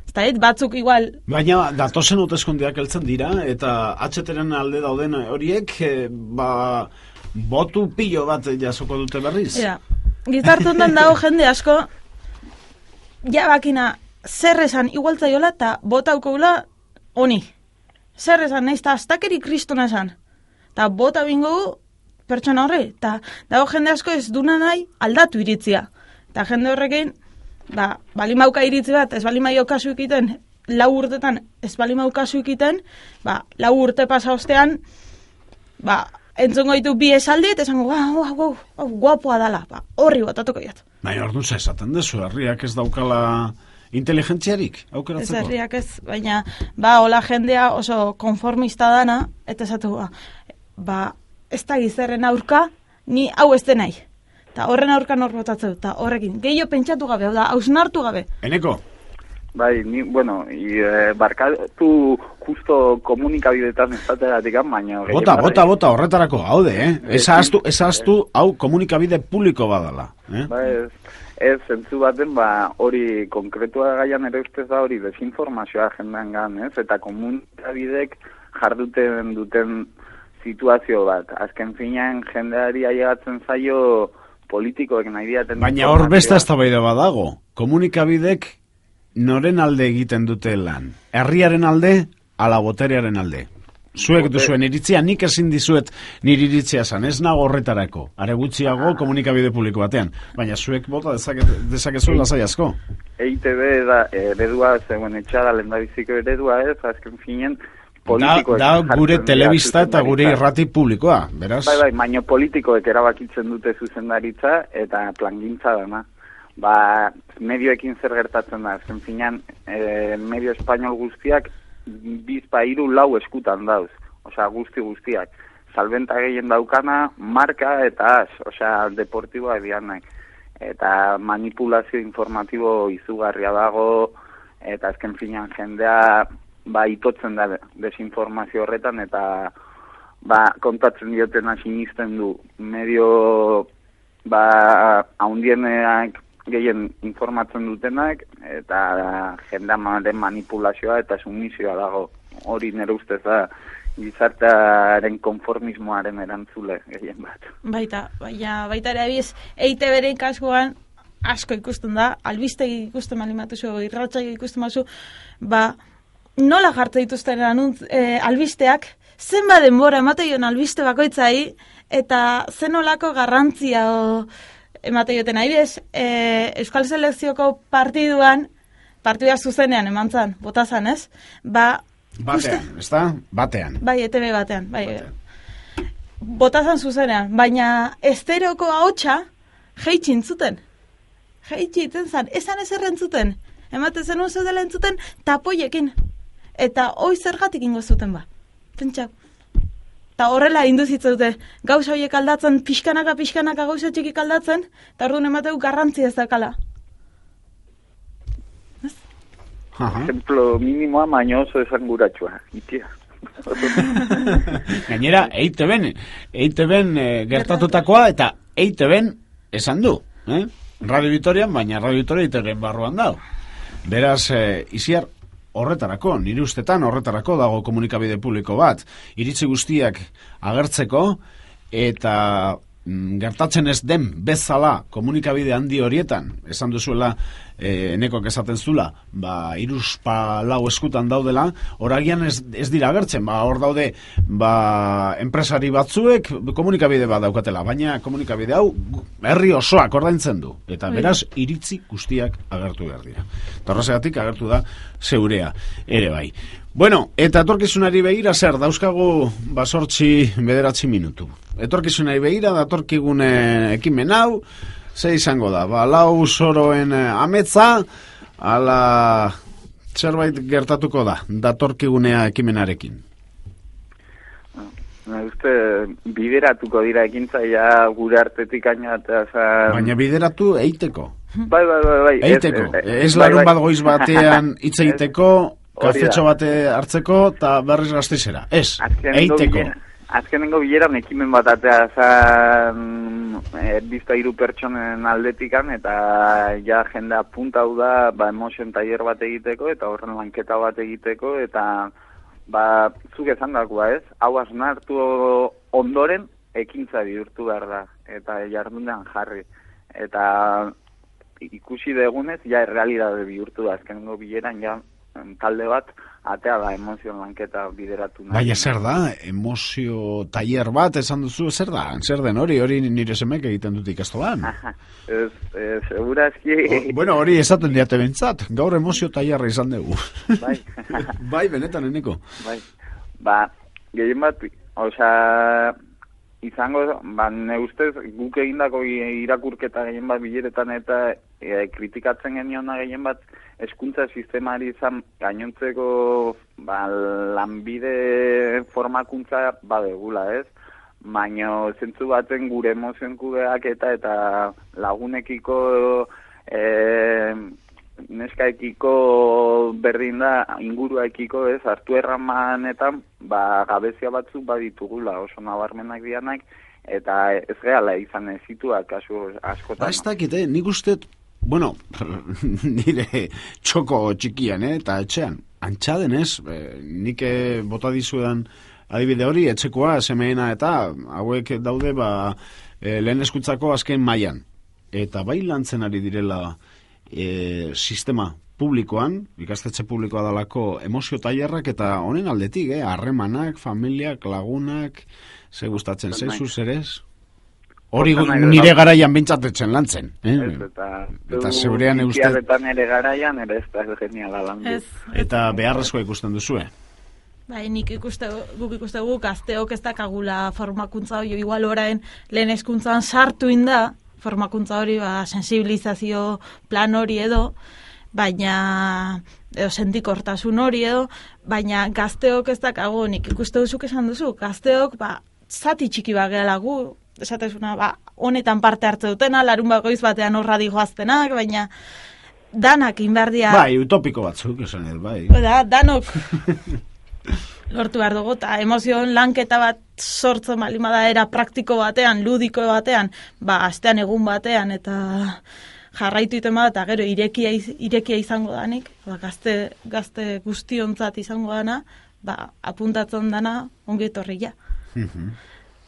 Ez da, batzuk igual... Baina datozen hauteskundeak heltzen dira, eta H T-ren alde dauden horiek, e, ba, botu pilo bat jasoko dute berriz. Ja, gizartundan dago jende asko, ja bakina, zer esan igualtzaiola eta botauko gula honi. Zer esan nahiz, eta astakeri kristona esan. Eta bota bingo pertsona horre, eta dago jende asko ez duna nahi aldatu iritzia. Eta jende horrekin, ba, balimauka iritzi bat, ez balimaio kasu ikiten, lau urtetan ez balimau kasu ikiten, ba, lau urte pasa ostean, ba, entzongo ditu bi esaldi, eta esango, guau, guau, guau, guapoa dala, ba, horri batatuko jat. Baina orduan za esaten dezu, herriak ez daukala inteligentziarik, aukeratzeko? Ez herriak ez, baina, ba, hola jendea oso konformista dana, eta esatu, ba, ba ez da gizerren aurka, ni hau ez denai. Eta horren aurka nor botatzeu, eta horrekin, gehiago pentsatu gabe, hau da, hausnartu gabe. Eneko? Bai, ni, bueno, i, e, barkatu justo komunikabidetan estateratik, baina... Bota, bota, bota, horretarako, haude, eh? Ez ahaztu, ez ahaztu, hau komunikabide publiko badala, eh? Ba, ez, ez, zentzu baten, ba, hori konkretua gaian ere ustez da hori desinformazioa jendan gan, ez? Eta komunikabidek jarduten duten situazio bat. Azken finean jendeari ailegatzen zaio politikoek nahi diaten... Baina hor beste eztabaida badago, komunikabidek noren alde egiten dute lan? Herriaren alde, ala boterearen alde? Zuek duzuen iritzia, nik ezin dizuet nire iritzia zan, ez nago horretarako. Are gutxiago komunikabide publiko batean. Baina zuek bota dezakezu lasai asko. E I Te Be da eredua, zegoen etxada lehendabiziko eredua ez, azken finen politikoek... Da, da gure telebista eta gure irrati publikoa, beraz? Bai, bai, baina politikoek erabakitzen dute zuzendaritza eta plangintza dana. Ba, medioekin zer gertatzen da, azken finean, e, medio espainol guztiak bizpa hiru lau eskutan dauz, osea, guzti guztiak. Salbenta gehien daukana, marka eta az, osea, deportiboa edianak. Eta manipulazio informatibo izugarria dago, eta azken finean jendea, ba, itotzen da desinformazio horretan, eta, ba, kontatzen diotena sinisten du. Medio, ba, haundienak gehien informatzen dutenak, eta jendamaren manipulazioa eta sumizioa dago. Hori nire ustez da gizartearen konformismoaren erantzule gehien bat. Baita, baina baita ere abiz, E I Te Beren kasuan asko ikusten da, albistegi ikusten malimatu zu, irratsaio ikusten mazu, ba, nola jartzen dituzten anuntz, e, albisteak, zenba denbora ematen albiste bakoitzai, eta zenolako garrantzia o, emate joten nahi bez, e, Euskal Selekzioko partiduan, partidua zuzenean eman zan, bota zan, ez? Ba, batean, ez da? Batean. Bai, E Te Be batean, bai. Batean. Bota zan zuzenean, baina esteroko ahotsa jeitxin zuten. Jeitxitzen zan, esan ez errentzuten. Emate zen uzu dela entzuten, tapoiekin. Eta hoi zergatik ingo zuten ba. Pentsa. Eta horrela induzitza dute, gauza horiek aldatzen, pixkanaka, pixkanaka gauza txikik aldatzen, eta orduan emateu garrantzia ez dakala. Ejemplo minimoa, baina oso esan guratxua, itia. Gainera, E I Te Ben, E I Te Ben e, gertatutakoa, eta E I Te Ben esan du, eh? Radio Vitorian, baina Radio Vitoria E I Te Ben barruan dau. Beraz, e, iziar, horretarako, nire ustetan horretarako dago komunikabide publiko bat, iritzi guztiak agertzeko, eta mm, gertatzen ez den bezala komunikabide handi horietan, esan duzuela, e, enekok esaten zula, ba, iruzpa lau eskutan daudela, horagian ez, ez dira agertzen, ba, hor daude, ba, enpresari batzuek komunikabide bat daukatela, baina komunikabide hau herri osoak ordaintzen du, eta beraz, iritzi guztiak agertu behar dira. Eta horregatik agertu da zeurea ere bai. Bueno, eta etorkizunari begira zer, dauzkagu basortzi bederatzi minutu. Etorkizunari begira, datorkigune ekimen hau, ze izango da, ba, lau soroen ametza, ala zerbait gertatuko da, datorkigunea ekimenarekin. Uste, bideratuko dira ekintzaia gure artetik aina eta zan... Baina bideratu eiteko. Bai, bai, bai, bai. Eiteko. Ez, ez, ez larun bat goiz batean hitz egiteko, kafetxo bate hartzeko, eta berriz gazteizera. Ez, eiteko. Azkenengo bileran ekimen bat atea zan erdizta hiru pertsonen aldetikan, eta ja jendea punta hau da, ba, emotion taller bat egiteko, eta horren lanketa bat egiteko, eta ba, zuk esan dagoa ez, hau asnartu ondoren ekintza bihurtu behar da, eta jardunean jarri. Eta ikusi degunez, ja errealidade bihurtu da, azkenengo bileran, ja talde bat, atea da emozio lanketa bideratu nahi. Baina zer da, emozio taller bat esan duzu, zer da? Zer den hori, hori nire semek egiten dut ikastolan? Ez, ez, segurazki... Bueno, hori esaten diate bentsat, gaur emozio tallerra izan dugu. Bai. Bai, benetan eneko. Bai, ba, gehien bat, osea, izango, ba, ne ustez, guk egindako irakurketa gehien bat bileretan eta e, kritikatzen geniona gehien bat hezkuntza sistemari izan gainontzeko ba, lanbide formakuntza badegula, ez? Baina zentzu baten gure emozioen kudeaketa eta lagunekiko e, neskaekiko berdin da inguruaekiko, ez, hartu erramanetan ba, gabezia batzuk baditugula oso nabarmenak dianak eta ez gehala izan ezituak kasu askotan. Ba, ez dakit, eh? Nik uste, bueno, nire txoko txikian, eh? Eta etxean, antxaden ez, eh, nik eh, bota dizuedan adibide hori, etxekoa, semeena eta hauek daude ba, eh, lehen eskutzako azken mailan. Eta bai lantzen ari direla E, sistema publikoan, ikastetxe publikoa dalako emozio tailerrak eta honen aldetik, eh, harremanak, familiak, lagunak, ze gustatzen zaizu zerez? Hori nire garaian bintzatetzen lantzen. Eh? Ez, eta eta zeurean euste... Eta nire garaian ere ez da geniala landu. Eta beharrezkoa ikusten duzue? Bai, nik ikuste, guk ikuste guk gazteok ez dakagula formakuntza hori, igual orain lehen hezkuntzan sartu inda, formakuntza hori, ba, sensibilizazio plan hori edo, baina, edo sentikortasun hori edo, baina gazteok ez dakago, nik ikuste duzuk esan duzu, gazteok, ba, zati txiki bagela gu, esatezuna, ba, honetan parte hartze dutena, larun bagoiz batean horra dihoaztenak, baina danak inbardia... Bai, utopiko batzuk, esan ez, bai. Da, danok... lortu behar dugu, eta emozioen lanketa bat sortzen balima da era praktiko batean, ludiko batean, ba, astean egun batean, eta jarraitu iten bat, eta gero irekia, irekia izango danik, ba, gazte, gazte guztiontzat izango dana, ba, apuntatzen dana ongi etorria.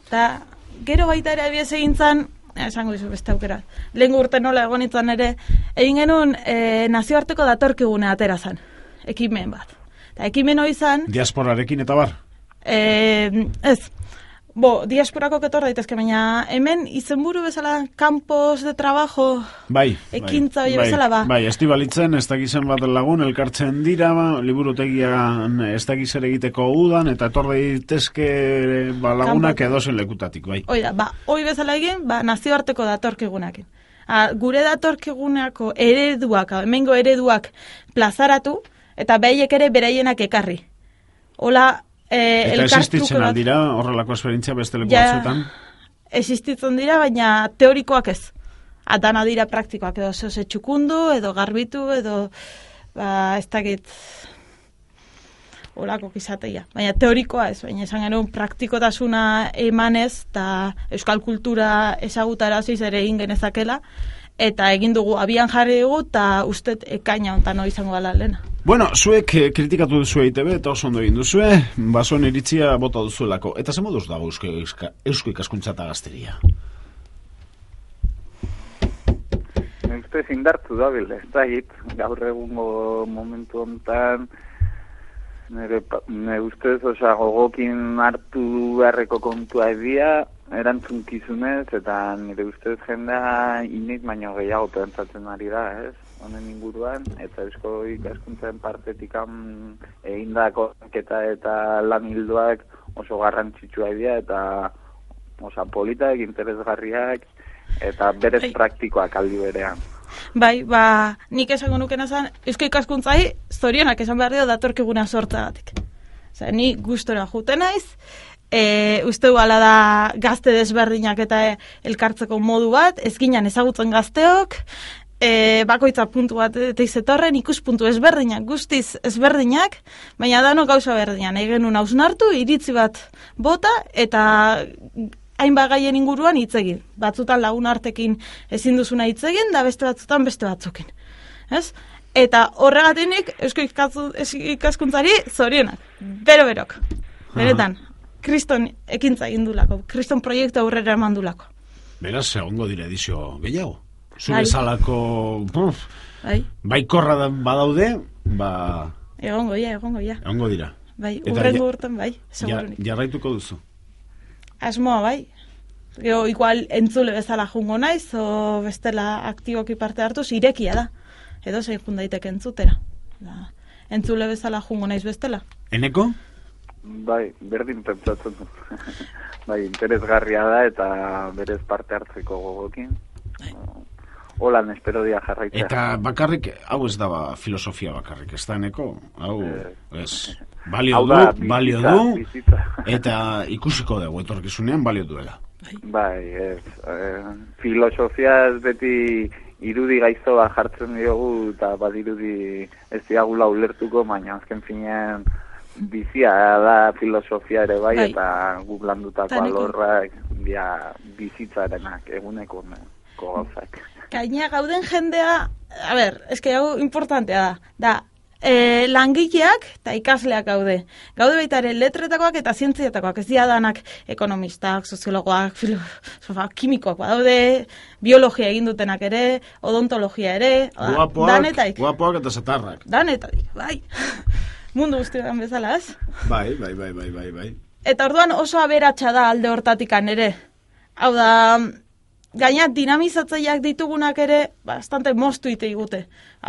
Eta gero baita ere abiez egin zan, esango dizu beste aukera, lehen urte nola egon itzan ere, egin genuen e, nazioarteko datorkigune atera zan, ekimen bat. Eta ekimen hori izan... Diasporarekin eta bar? E, ez, bo, diasporako ketor daitezke, baina hemen izenburu bezala campos de trabajo bai, ekintza hori bai, bezala, ba. Bai, estibalitzen, ez dakizen bat lagun, elkartzen dira, ba, liburutegian ez dakizer egiteko udan, eta etor daitezke ba, lagunak Kampo. Edozen lekutatik, bai. Oida, ba, hoi bezala egin, ba, nazioarteko datorkigunakin. A, gure datorkigunako ereduak, hemengo ereduak plazaratu, eta behiek ere beraienak ekarri. Hola, eh, eta existitzen aldira, horrelako esperientzia beste leku ja, batzuetan? Existitzen dira, baina teorikoak ez. Atana dira praktikoak, edo zehose txukundu, edo garbitu, edo, ba, ez dakit, horako kizateia. Baina teorikoa ez, baina esan genuen praktikotasuna emanez, eta euskal kultura ezagutaraziz ere egin genezakela, eta egin dugu abian jarri dugu, eta ustet ekaina ontan hori izango gala lehena. Bueno, zuek kritikatu duzu E I T B eta oso ondo egin duzue, basoen iritzia bota duzuelako. Eta ze moduz dago eusko, eusko ikaskuntza eta gazteria? Ustez indartu da, bil, ez da hit, gaur egungo momentu honetan, nire, nire ustez, oza, gogokin hartu beharreko kontua edia, erantzunkizunez, eta nire ustez jendea iniz baino gehiago pentsatzen ari da, ez? Honen inguruan, eta eusko ikaskuntzaren partetik egindako eta eta lan hildoak oso garrantzitsua dira, eta osa politak, interesgarriak, eta berez Ai. praktikoak aldi berean. Bai, ba, nik esango nukena zan, eusko ikaskuntzai zorionak esan behar dio datorkiguna sortzagatik. Osa, ni gustora juten naiz, e, uste duala da gazte desberdinak eta elkartzeko modu bat, ezkinan ezagutzen gazteok, E, bakoitza puntu bat eta izetorren ikuspuntu ezberdinak, guztiz ezberdinak, baina dano gauza berdinak. Nahi genuen hausnartu, iritzi bat bota eta hainbat gaien inguruan hitz egin. Batzutan lagun artekin ezin duzuna hitz egin, da beste batzutan beste batzukin. Ez? Eta horregatinik eusko ikaskuntzari zorionak, bero-berok. Beretan, kriston ekintza egin dulako, kriston proiektu aurrera eman dulako. Beraz, egongo dire edizio gehiago. Zure salako bai. Baikorra badaude, ba... Egongo, ja, egongo, ja. Egongo dira. Bai, urrengo urten, bai, segurunik. Ja, jarraituko duzu? Asmoa, bai. Ego, igual, entzule bezala jungo naiz, o bestela aktiboki parte hartuz, irekia da. Edo zein jundaitek entzutera. Da, entzule bezala jungo naiz bestela. Eneko? Bai, berdin pentsatzen du. Bai, interesgarria da eta berez parte hartzeko gogokin. Holan espero dia jarraitzea. Eta bakarrik, hau ez daba filosofia bakarrik, ez da eneko? Hau, ez, balio du, balio du, eta ikusiko dugu, etorkizunean balio duela. Bai, ez, eh, filosofia ez beti irudi gaiztoa jartzen diogu, eta badirudi ez diagula ulertuko, baina azken finean bizia da filosofia ere bai, bai. Eta guk landutako alorrak dia bizitzarenak, eguneko gauzak. Gaina gauden jendea, a ber, eske hau importantea da, da, e, langileak eta ikasleak gaude. Gaude baita ere letretakoak eta zientziatakoak, ez dira danak ekonomistak, soziologoak, filosofak, kimikoak, badaude, biologia egin dutenak ere, odontologia ere, guapoak, danetaik. Guapoak eta zatarrak. Danetaik, bai. Mundu guztietan bezala, ez? Bai, bai, bai, bai, bai, bai. Eta orduan oso aberatsa da alde hortatikan ere. Hau da, gaina dinamizatzaileak ditugunak ere bastante moztu ite igute.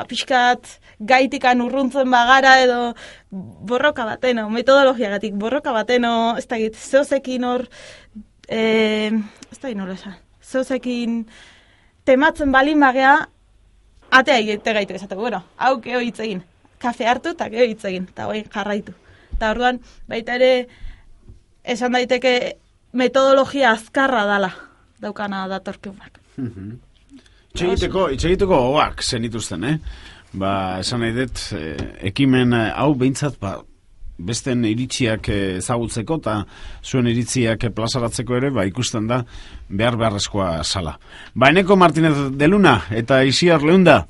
Pixkat gaitikan urruntzen bagara edo borroka bateno, metodologiagatik borroka bateno, ez da git, zeozekin hor, e, ez da git nola esan, zeozekin tematzen balin bagea, atea egite gaitu esateko, bueno, hau geho hitz egin. Kafe hartu eta geho hitz egin, eta hori jarraitu. Eta orduan, baita ere, esan daiteke metodologia azkarra dala, daukana datorkiunak. Itxegiteko, itxegiteko hoak zenituzten, eh? Ba, esan nahi dut, eh, ekimen hau behintzat, ba, besten iritziak ezagutzeko eta zuen iritziak plazaratzeko ere, ba, ikusten da, behar beharrezkoa sala. Ba, Eneko Martinez de Luna eta Isiar Leunda,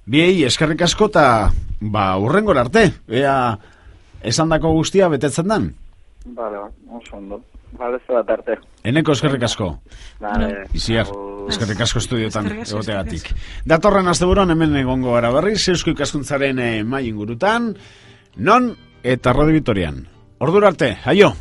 biei eskerrik asko eta ba, urrengor arte, ea esandako guztia betetzen dan. Bale, oso ondo. Bale, ez bat arte. Eneko eskerrik asko. Bale. Isiar, eskerrik asko estudiotan egoteagatik. Datorren asteburuan hemen egongo gara berriz, Eusko Ikaskuntzaren eh, mai ingurutan, non eta Radio Vitorian. Ordura arte, aio!